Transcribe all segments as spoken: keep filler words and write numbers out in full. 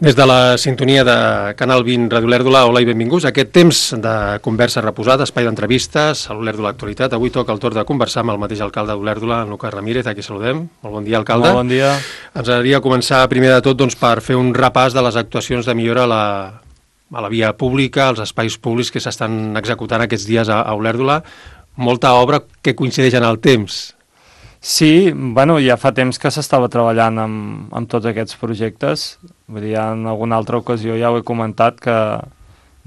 Des de la sintonia de Canal vint Ràdio Olèrdola, hola i benvinguts a aquest temps de conversa reposada, espai d'entrevistes a l'Olèrdola Actualitat. Avui toca el torn de conversar amb el mateix alcalde d'Olèrdola, en Lucas Ramírez, a qui saludem. Molt bon dia, alcalde. Molt bon dia. Ens agradaria començar primer de tot doncs, per fer un repàs de les actuacions de millora a la, a la via pública, als espais públics que s'estan executant aquests dies a, a Olèrdola. Molta obra que coincideix en el temps. Sí, bueno, ja fa temps que s'estava treballant amb, amb tots aquests projectes. Vull dir, en alguna altra ocasió ja ho he comentat que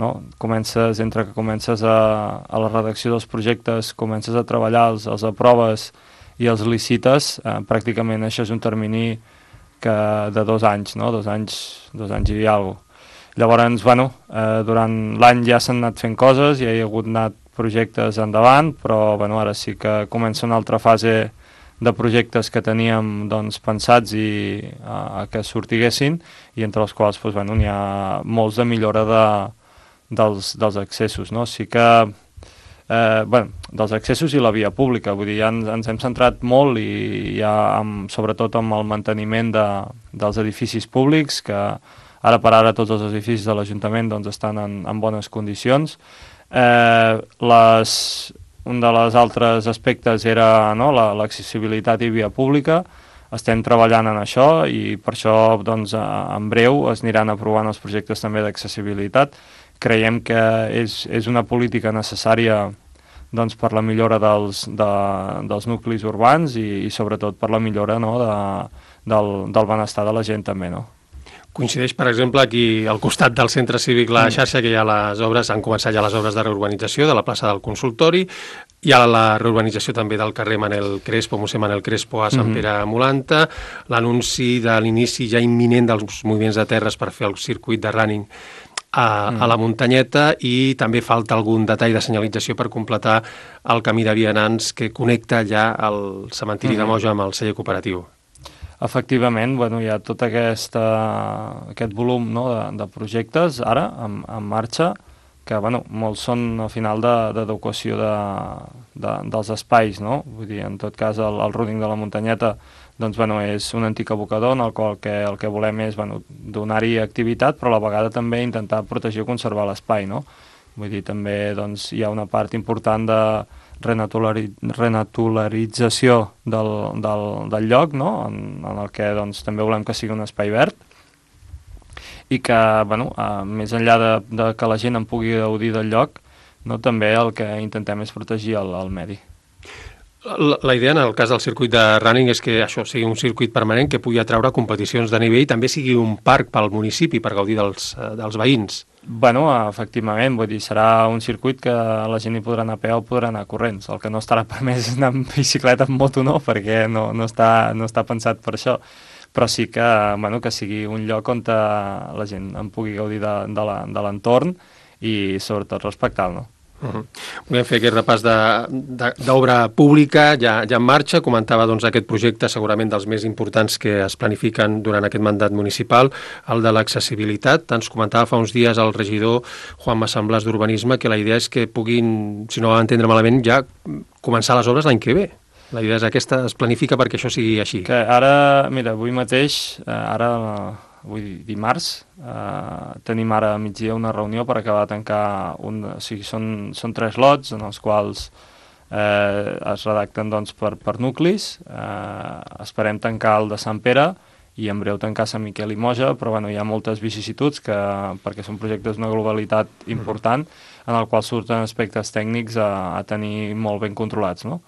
no, comences, entre que comences a, a la redacció dels projectes, comences a treballar, els, els aproves i els licites, eh, pràcticament això és un termini que de dos anys, no? Dos anys, dos anys i alguna cosa. Llavors, bueno, eh, durant l'any ja s'han anat fent coses, ja hi ha hagut anat projectes endavant, però bueno, ara sí que comença una altra fase de projectes que teníem doncs, pensats i a, a que sortiguessin i entre els quals doncs, bueno, n'hi ha molts de millora de, dels, dels accessos. No? Sí que, eh, bueno, dels accessos i la via pública, vull dir, ja ens, ens hem centrat molt i ja amb, sobretot amb el manteniment de, dels edificis públics, que ara per ara tots els edificis de l'Ajuntament doncs, estan en, en bones condicions. Eh, les... Un dels altres aspectes era no, l'accessibilitat i via pública. Estem treballant en això i per això doncs, en breu es aniran aprovant els projectes també d'accessibilitat. Creiem que és, és una política necessària doncs, per la millora dels, de, dels nuclis urbans i, i sobretot per la millora no, de, del, del benestar de la gent també, no? Coincideix, per exemple, aquí al costat del centre cívic La Xarxa, que hi ha les obres, han començat ja les obres de reurbanització de la plaça del Consultori, hi ha la reurbanització també del carrer Manel Crespo, Mossèn Manel Crespo a Sant Pere Molanta, l'anunci de l'inici ja imminent dels moviments de terres per fer el circuit de running a, mm. a la muntanyeta i també falta algun detall de senyalització per completar el camí de vianants que connecta ja el cementiri mm. de Moja amb el celler cooperatiu. Efectivament, bueno, hi ha tot aquesta, aquest volum no, de, de projectes ara en, en marxa, que bueno, molts són al final d'adequació de, de, de, dels espais, no? Vull dir, en tot cas el, el running de la muntanyeta doncs, bueno, és un antic abocador en el qual que, el que volem és bueno, donar-hi activitat, però a la vegada també intentar protegir o conservar l'espai, no? Vull dir, també doncs, hi ha una part important de Renatulari, renaturalització del, del, del lloc, no? en, en el que doncs, també volem que sigui un espai verd i que, bueno, uh, més enllà de, de que la gent en pugui gaudir del lloc, no? També el que intentem és protegir el, el medi. La, la idea en el cas del circuit de running és que això sigui un circuit permanent que pugui atraure competicions de nivell i també sigui un parc pel municipi per gaudir dels, dels veïns. Bueno, efectivament, vull dir, serà un circuit que la gent hi podrà anar a peu o podrà anar corrents. El que no estarà permès és anar amb bicicleta, amb moto, no, perquè no, no, està, no està pensat per això. Però sí que, bueno, que sigui un lloc on la gent en pugui gaudir de, de l'entorn i sobretot respectar-lo, no? Uh-huh. Volem fer aquest repàs d'obra pública ja, ja en marxa. Comentava doncs, aquest projecte segurament dels més importants que es planifiquen durant aquest mandat municipal, el de l'accessibilitat. Ens comentava fa uns dies el regidor Juan Massamblàs d'Urbanisme que la idea és que puguin, si no ho entendre malament, ja començar les obres l'any que ve. La idea és aquesta, es planifica perquè això sigui així. Que ara, mira, avui mateix, ara avui dimarts, eh, tenim ara a migdia una reunió per acabar de tancar, un, o sigui, són, són tres lots en els quals eh, es redacten doncs, per, per nuclis, eh, esperem tancar el de Sant Pere i en breu tancar Sant Miquel i Moja, però bueno, hi ha moltes vicissituds que, perquè són projectes d'una globalitat important en el qual surten aspectes tècnics a, a tenir molt ben controlats, no?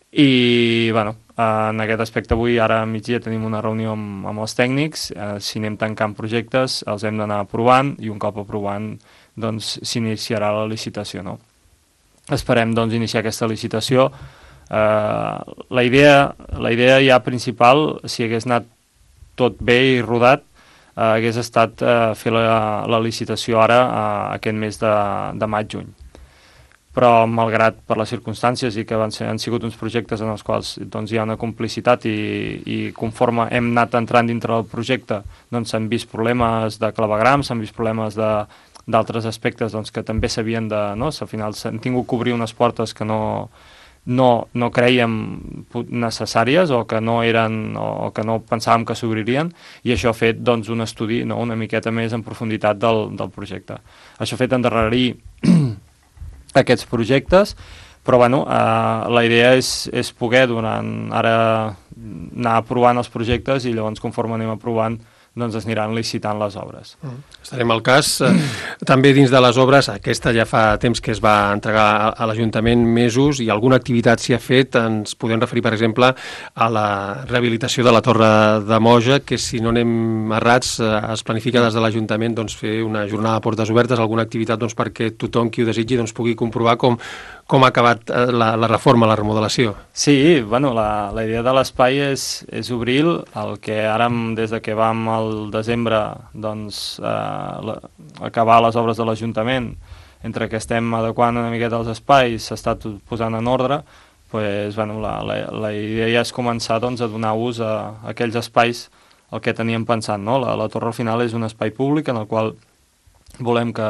I bueno, en aquest aspecte avui ara a migdia tenim una reunió amb, amb els tècnics, eh, si anem tancant projectes els hem d'anar aprovant i un cop aprovant doncs s'iniciarà la licitació, no? Esperem doncs iniciar aquesta licitació. Eh, la idea, la idea ja principal, si hagués anat tot bé i rodat, eh, hagués estat eh, fer la, la licitació ara eh, aquest mes de, de maig-juny. Però malgrat per les circumstàncies i que van ser, han sigut uns projectes en els quals doncs, hi ha una complicitat i, i conforme hem anat entrant dintre del projecte doncs s'han vist problemes de clavegrams, s'han vist problemes d'altres aspectes doncs, que també s'havien de... No? Al final s'han tingut que obrir unes portes que no, no, no creiem necessàries o que no eren o que no pensàvem que s'obririen, i això ha fet doncs, un estudi, no, una miqueta més en profunditat del, del projecte. Això ha fet endarrerir aquests projectes, però bueno, eh, la idea és, és poder durant ara anar aprovant els projectes i llavors conforme anem aprovant doncs es aniran licitant les obres. Mm. Estarem al cas. També dins de les obres, aquesta ja fa temps que es va entregar a l'Ajuntament mesos i alguna activitat s'hi ha fet. Ens podem referir, per exemple, a la rehabilitació de la Torre de Moja, que si no anem errats es planifica des de l'Ajuntament doncs, fer una jornada a portes obertes, alguna activitat doncs, perquè tothom qui ho desitgi doncs, pugui comprovar com, com ha acabat la, la reforma, la remodelació. Sí, bueno, la, la idea de l'espai és, és obrir el que ara, des de que vam al desembre, doncs, eh, la, acabar les obres de l'Ajuntament, entre que estem adequant una miqueta els espais, s'està posant en ordre, pues, bueno, la, la, la idea és començar doncs, a donar ús a, a aquells espais el que teníem pensat. No? La, la torre al final és un espai públic en el qual volem que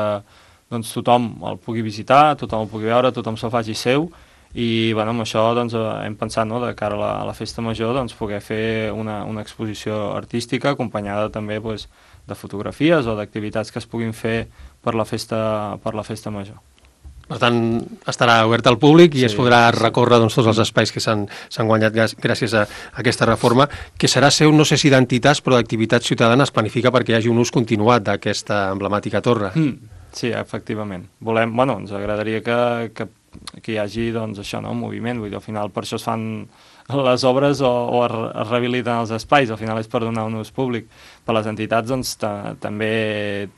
doncs, tothom el pugui visitar, tothom el pugui veure, tothom se'l faci seu, i bueno, amb això doncs, hem pensat, no, de cara a la, a la festa major doncs, poder fer una, una exposició artística acompanyada també doncs, de fotografies o d'activitats que es puguin fer per la festa, per la festa major. Per tant, estarà obert al públic i sí, es podrà recórrer doncs, tots els espais que s'han guanyat gràcies a, a aquesta reforma, que serà seu, no sé si d'entitats, però d'activitats ciutadanes, planifica perquè hi hagi un ús continuat d'aquesta emblemàtica torre. Mm, sí, efectivament. Volem, bueno, ens agradaria que, que que hi hagi doncs, això, no? Un moviment, vull dir, al final per això es fan les obres o, o es, es rehabiliten els espais, al final és per donar un ús públic. Per les entitats doncs, també,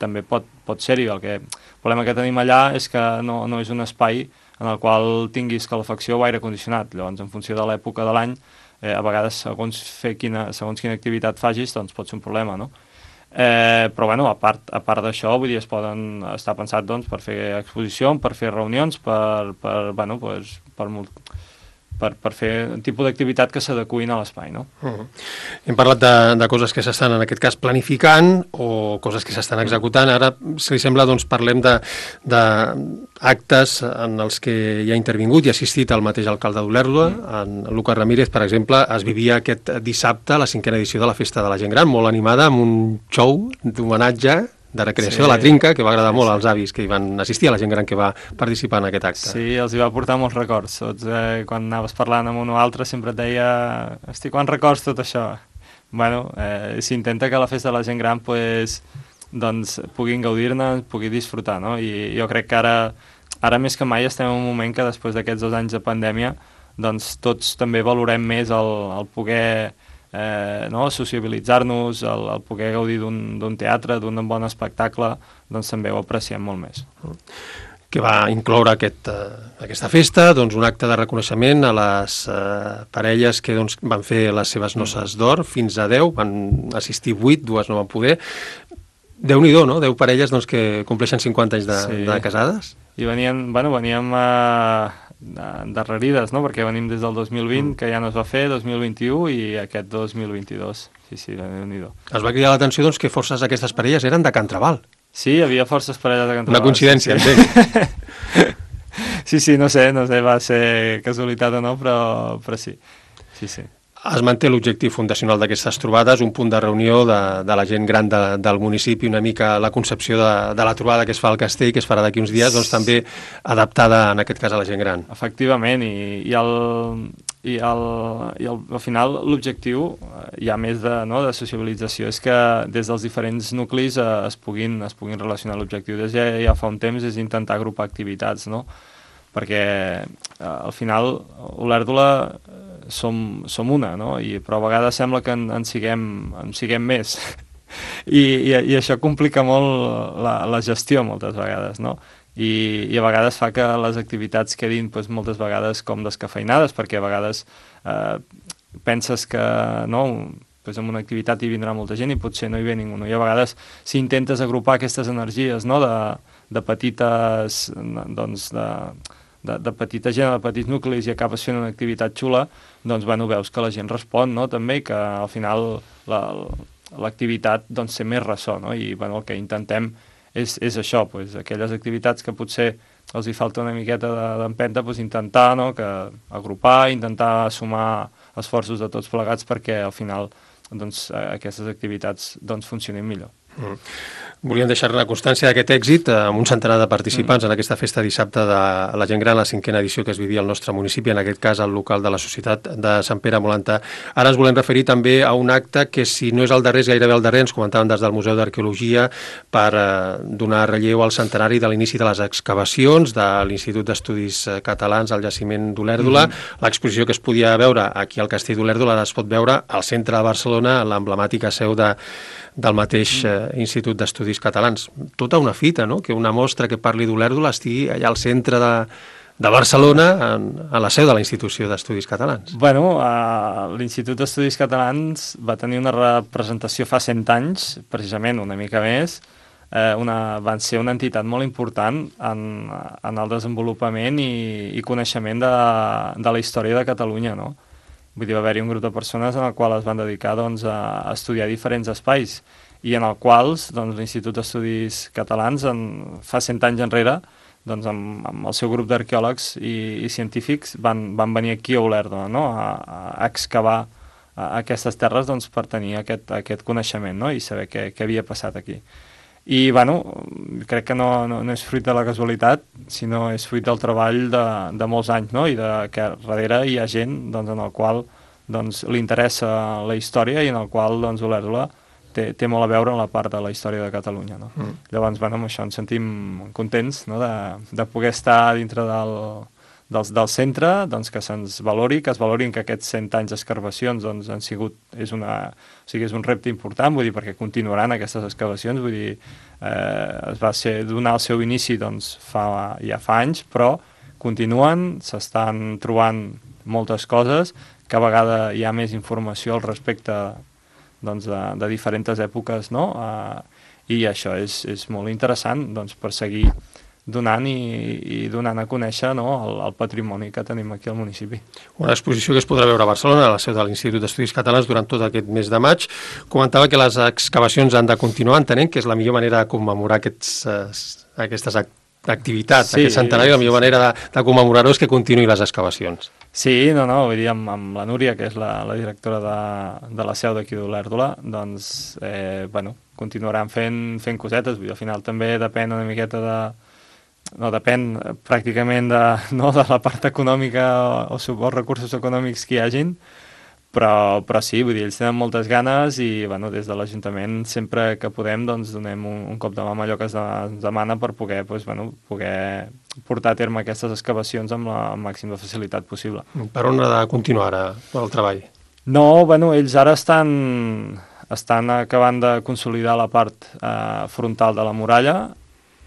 també pot, pot ser-hi. El, que, el problema que tenim allà és que no, no és un espai en el qual tinguis calefacció o aire condicionat. Llavors, en funció de l'època de l'any, eh, a vegades, segons, fer quina, segons quina activitat fagis, doncs pot ser un problema, no? Eh, però bueno, a part, a part d'això, vull dir, es poden estar pensat doncs, per fer exposició, per fer reunions, per, per, bueno, pues, per, per, per fer un tipus d'activitat que s'adecuïn a l'espai, no? Uh-huh. Hem parlat de, de coses que s'estan, en aquest cas, planificant o coses que s'estan executant. Ara, si li sembla, doncs parlem de, de actes en els que hi ha intervingut i assistit el mateix alcalde d'Olèrdola, en Lucas Ramírez, per exemple. Es vivia aquest dissabte la cinquena edició de la Festa de la Gent Gran, molt animada, amb un show d'homenatge de recreació sí, de la Trinca, que va agradar sí, molt als avis que hi van assistir, a la gent gran que va participar en aquest acte. Sí, els hi va portar molts records. Tots, eh, quan anaves parlant amb un o altre sempre et deia, hosti, quants records tot això? Bueno, eh, s'intenta que la festa de la gent gran pues, doncs, puguin gaudir-ne, pugui disfrutar, no? I jo crec que ara, ara més que mai estem en un moment que després d'aquests dos anys de pandèmia doncs tots també valorem més el, el poder Eh, no? sociabilitzar-nos, el, el poder gaudir d'un teatre, d'un bon espectacle, doncs també ho apreciem molt més. Que va incloure aquest, uh, aquesta festa, doncs un acte de reconeixement a les uh, parelles que doncs, van fer les seves noces d'or, fins a deu, van assistir vuit, dues no van poder. Déu-n'hi-do, no? deu parelles doncs, que compleixen cinquanta anys de, sí. de casades. I venien, bueno, veníem a... Uh... endarrerides, no? Perquè venim des del dos mil vint, mm. que ja no es va fer, dos mil vint-i-u i aquest dos mil vint-i-dos. Sí, sí, déu-n'hi-do. Es va cridar l'atenció doncs, que forces d'aquestes parelles eren de Can Trabal. Sí, hi havia forces parelles de Can Trabal. Una coincidència, sí, sí. sí, sí, no sé, no sé, va ser casualitat o no, però, però sí, sí, sí. Es manté l'objectiu fundacional d'aquestes trobades, un punt de reunió de, de la gent gran de, del municipi, una mica la concepció de, de la trobada que es fa al castell, que es farà d'aquí uns dies, doncs també adaptada en aquest cas a la gent gran. Efectivament, i, i, el, i, el, i el, al final l'objectiu, ja més de, no, de sociabilització, és que des dels diferents nuclis eh, es, puguin, es puguin relacionar. L'objectiu des ja, ja fa un temps és intentar agrupar activitats, no? Perquè eh, al final Olèrdola som, som una, no? I, però a vegades sembla que en, en, siguem, en siguem més I, i, i això complica molt la, la gestió moltes vegades, no? I, i a vegades fa que les activitats quedin doncs, moltes vegades com descafeinades, perquè a vegades eh, penses que no, doncs en una activitat hi vindrà molta gent i potser no hi ve ningú, no? I a vegades si intentes agrupar aquestes energies, no? de, de petites doncs de De, de petita gent, de petits nuclis i acabes fent una activitat xula, doncs bueno, veus que la gent respon, no? També, que al final l'activitat la, doncs, té més ressò, no? I bueno, el que intentem és, és això, pues, aquelles activitats que potser els hi falta una miqueta d'empenta, doncs intentar, no?, que agrupar, intentar sumar esforços de tots plegats perquè al final doncs, aquestes activitats doncs, funcionin millor. Mm. Volíem deixar-ne constància d'aquest èxit amb un centenar de participants mm. en aquesta festa dissabte de la gent gran, la cinquena edició que es vivia al nostre municipi, en aquest cas al local de la Societat de Sant Pere Molantà. Ara ens volem referir també a un acte que, si no és el darrer, és gairebé el darrer, ens comentaven des del Museu d'Arqueologia, per eh, donar relleu al centenari de l'inici de les excavacions de l'Institut d'Estudis Catalans al jaciment d'Olèrdola. Mm. L'exposició que es podia veure aquí al Castell d'Olèrdola ara es pot veure al centre de Barcelona, a l'emblemàtica seu de del mateix eh, Institut d'Estudis Catalans. Tota una fita, no?, que una mostra que parli d'Olèrdola estigui allà al centre de, de Barcelona, en, a la seu de la Institució d'Estudis Catalans. Bueno, uh, l'Institut d'Estudis Catalans va tenir una representació fa cent anys, precisament una mica més. Eh, una, van ser una entitat molt important en, en el desenvolupament i, i coneixement de, de la història de Catalunya, no? Vull dir, va haver-hi un grup de persones en el qual es van dedicar doncs, a estudiar diferents espais i en el quals doncs, l'Institut d'Estudis Catalans en, fa cent anys enrere doncs, amb, amb el seu grup d'arqueòlegs i, i científics van, van venir aquí a Olèrdola, no?, a, a excavar a aquestes terres doncs, per tenir aquest, aquest coneixement, no?, i saber què, què havia passat aquí. I, bueno, crec que no, no, no és fruit de la casualitat, sinó és fruit del treball de, de molts anys, no?, i de, que darrere hi ha gent doncs, en el qual doncs, li interessa la història i en el qual doncs, Olèrdola té, té molt a veure en la part de la història de Catalunya, no? Mm. Llavors, bueno, amb això ens sentim contents, no?, de, de poder estar dintre del, del, del centre, doncs, que se'ns valori, que es valorin que aquests cent anys d'excavacions doncs, han sigut, és, una, o sigui, és un repte important, vull dir, perquè continuaran aquestes excavacions, vull dir, eh, es va ser donar el seu inici doncs, fa, ja fa anys, però continuen, s'estan trobant moltes coses, cada vegada hi ha més informació al respecte doncs, de, de diferents èpoques, no? Eh, i això és, és molt interessant doncs, per seguir donant i, i donant a conèixer, no?, el, el patrimoni que tenim aquí al municipi. Una exposició que es podrà veure a Barcelona, a la seu de l'Institut d'Estudis Catalans, durant tot aquest mes de maig. Comentava que les excavacions han de continuar, entenent que és la millor manera de commemorar aquests, eh, aquestes activitats, sí, aquest centenari, la millor sí, manera de, de commemorar-ho és que continuï les excavacions. Sí, no, no, vull dir, amb, amb la Núria, que és la, la directora de, de la seu d'aquí d'Olèrdola, doncs, eh, bueno, continuaran fent, fent cosetes, vull dir, al final també depèn una miqueta de no depèn pràcticament de, no, de la part econòmica o, o recursos econòmics que hi hagin, però, però sí, vull dir, ells tenen moltes ganes i bueno, des de l'Ajuntament sempre que podem doncs, donem un, un cop de mà amb allò que es demana per poder, doncs, bueno, poder portar a terme aquestes excavacions amb la màxima facilitat possible. Per on ha de continuar ara el treball? No, bueno, ells ara estan, estan acabant de consolidar la part eh, frontal de la muralla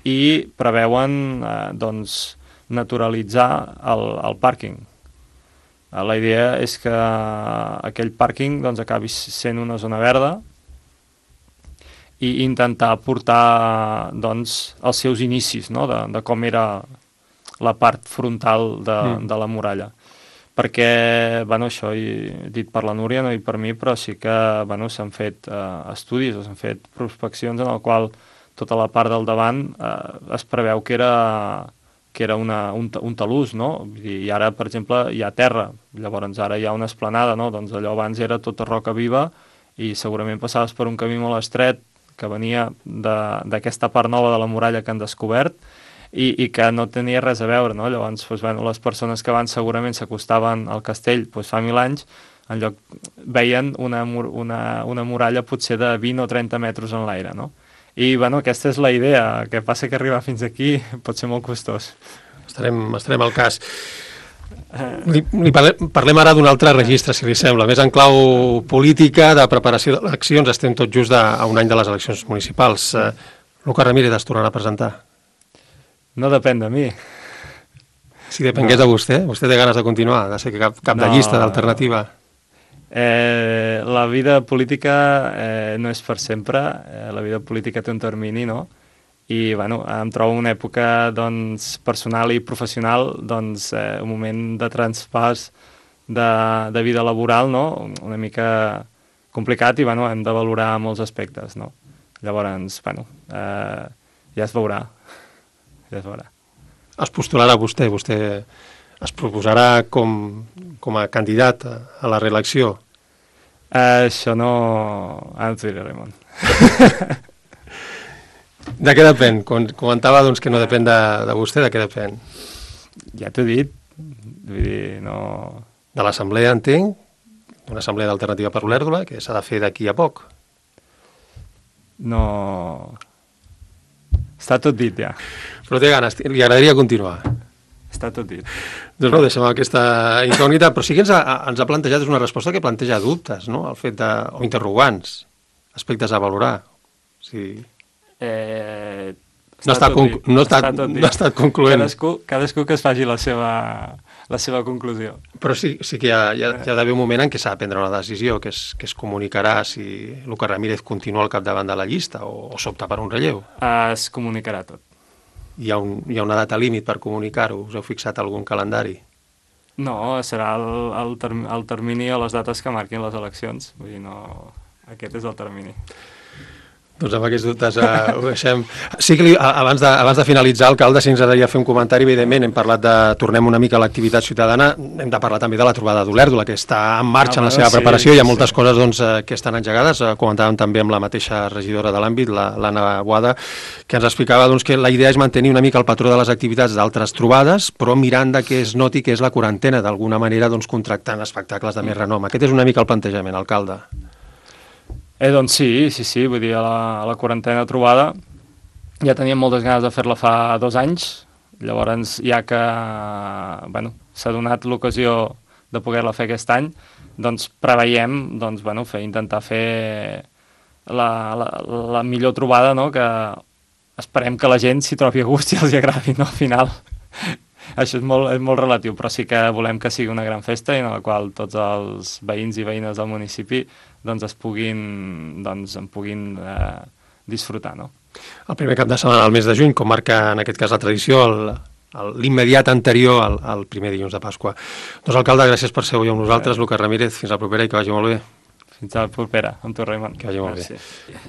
i preveuen eh, doncs, naturalitzar el, el pàrquing. Eh, la idea és que aquell pàrquing doncs, acabi sent una zona verda i intentar portar doncs, els seus inicis, no?, de, de com era la part frontal de, mm. de la muralla. Perquè, bueno, això he dit per la Núria, no dit per mi, però sí que bueno, s'han fet eh, estudis o s'han fet prospeccions en el qual tota la part del davant eh, es preveu que era, que era una, un, un talús, no? I ara, per exemple, hi ha terra, llavors ara hi ha una esplanada, no? Doncs allò abans era tota roca viva i segurament passaves per un camí molt estret que venia d'aquesta part nova de la muralla que han descobert i, i que no tenia res a veure, no? Llavors, doncs, bueno, les persones que van segurament s'acostaven al castell doncs, fa mil anys, en lloc veien una, una, una muralla potser de vint o trenta metres en l'aire, no? I, bueno, aquesta és la idea, que passa que arribar fins aquí pot ser molt costós. Estarem, estarem al cas. Li, li parlem, parlem ara d'un altre registre, si li sembla, més en clau política, de preparació d'eleccions. Estem tot just a, a un any de les eleccions municipals. Uh, Lucas Ramírez es tornarà a presentar? No depèn de mi. Si depengués no. de vostè, vostè té ganes de continuar, de ser cap, cap no. de llista, d'alternativa. Eh, la vida política eh, no és per sempre, eh, la vida política té un termini, no? I, bueno, em trobo una època, doncs, personal i professional, doncs, eh, un moment de traspàs de, de vida laboral, no? Una mica complicat i, bueno, hem de valorar molts aspectes, no? Llavors, bueno, eh, ja es veurà, ja es veurà. es postularà vostè? Vostè es proposarà com, com a candidat a, a la reelecció? Uh, això no... Ara t'ho diré, Raimon. De què depèn? Com comentava doncs, que no depèn de, de vostè, de què depèn? Ja t'ho he dit. Vull dir, no... De l'assemblea, entenc, d'una assemblea d'alternativa per Olèrdola, que s'ha de fer d'aquí a poc. No... Està tot dit, ja. Però té ganes, li agradaria continuar. Està tot dit. Doncs no, deixem aquesta incògnita, però sí que ens ha, ens ha plantejat, és una resposta que planteja dubtes, no?, el fet de... o interrogants, aspectes a valorar. O sigui... Eh... No ha estat, conc... no, estat, no ha estat concloent. Cadascú, cadascú que es faci la seva, la seva conclusió. Però sí, sí que hi ha, hi ha, hi ha d'haver un moment en què s'ha de prendre una decisió, que es, que es comunicarà si Lucas Ramírez continua al capdavant de la llista o, o s'opta per un relleu. Es comunicarà tot. Hi ha, un, hi ha una data límit per comunicar-ho? Us heu fixat algun calendari? No, serà el, el, term, el termini o les dates que marquin les eleccions. Vull dir, no... Aquest és el termini. Doncs amb aquests dubtes eh, ho deixem. Sí que li, abans, de, abans de finalitzar, alcalde, si ens agradaria fer un comentari, evidentment, hem parlat de, tornem una mica a l'activitat ciutadana, hem de parlar també de la trobada d'Olèrdola, que està en marxa ah, en la seva sí, preparació, hi ha moltes sí. coses doncs, que estan engegades, comentàvem també amb la mateixa regidora de l'àmbit, l'Anna Boada, que ens explicava doncs, que la idea és mantenir una mica el patró de les activitats d'altres trobades, però mirant de que es noti que és la quarantena, d'alguna manera doncs, contractant espectacles de més renom. Aquest és una mica el plantejament, alcalde. Eh, doncs sí, sí, sí, vull dir, a la, a la quarantena trobada ja teníem moltes ganes de fer-la fa dos anys, llavors ja que bueno, s'ha donat l'ocasió de poder-la fer aquest any, doncs preveiem doncs, bueno, fer, intentar fer la, la, la millor trobada, no? Que esperem que la gent s'hi trobi a gust i els agradi, no? Al final. Això és molt, és molt relatiu, però sí que volem que sigui una gran festa en la qual tots els veïns i veïnes del municipi doncs es puguin, doncs, en puguin eh, disfrutar, no? El primer cap de setmana del mes de juny, com marca en aquest cas la tradició, l'immediat anterior al, al primer dilluns de Pasqua. Doncs, alcalde, gràcies per ser avui amb nosaltres. Lucas Ramírez, fins la propera i que vagi molt bé. Fins a la propera, amb tu, Raimon. Que vagi molt Gràcies. bé.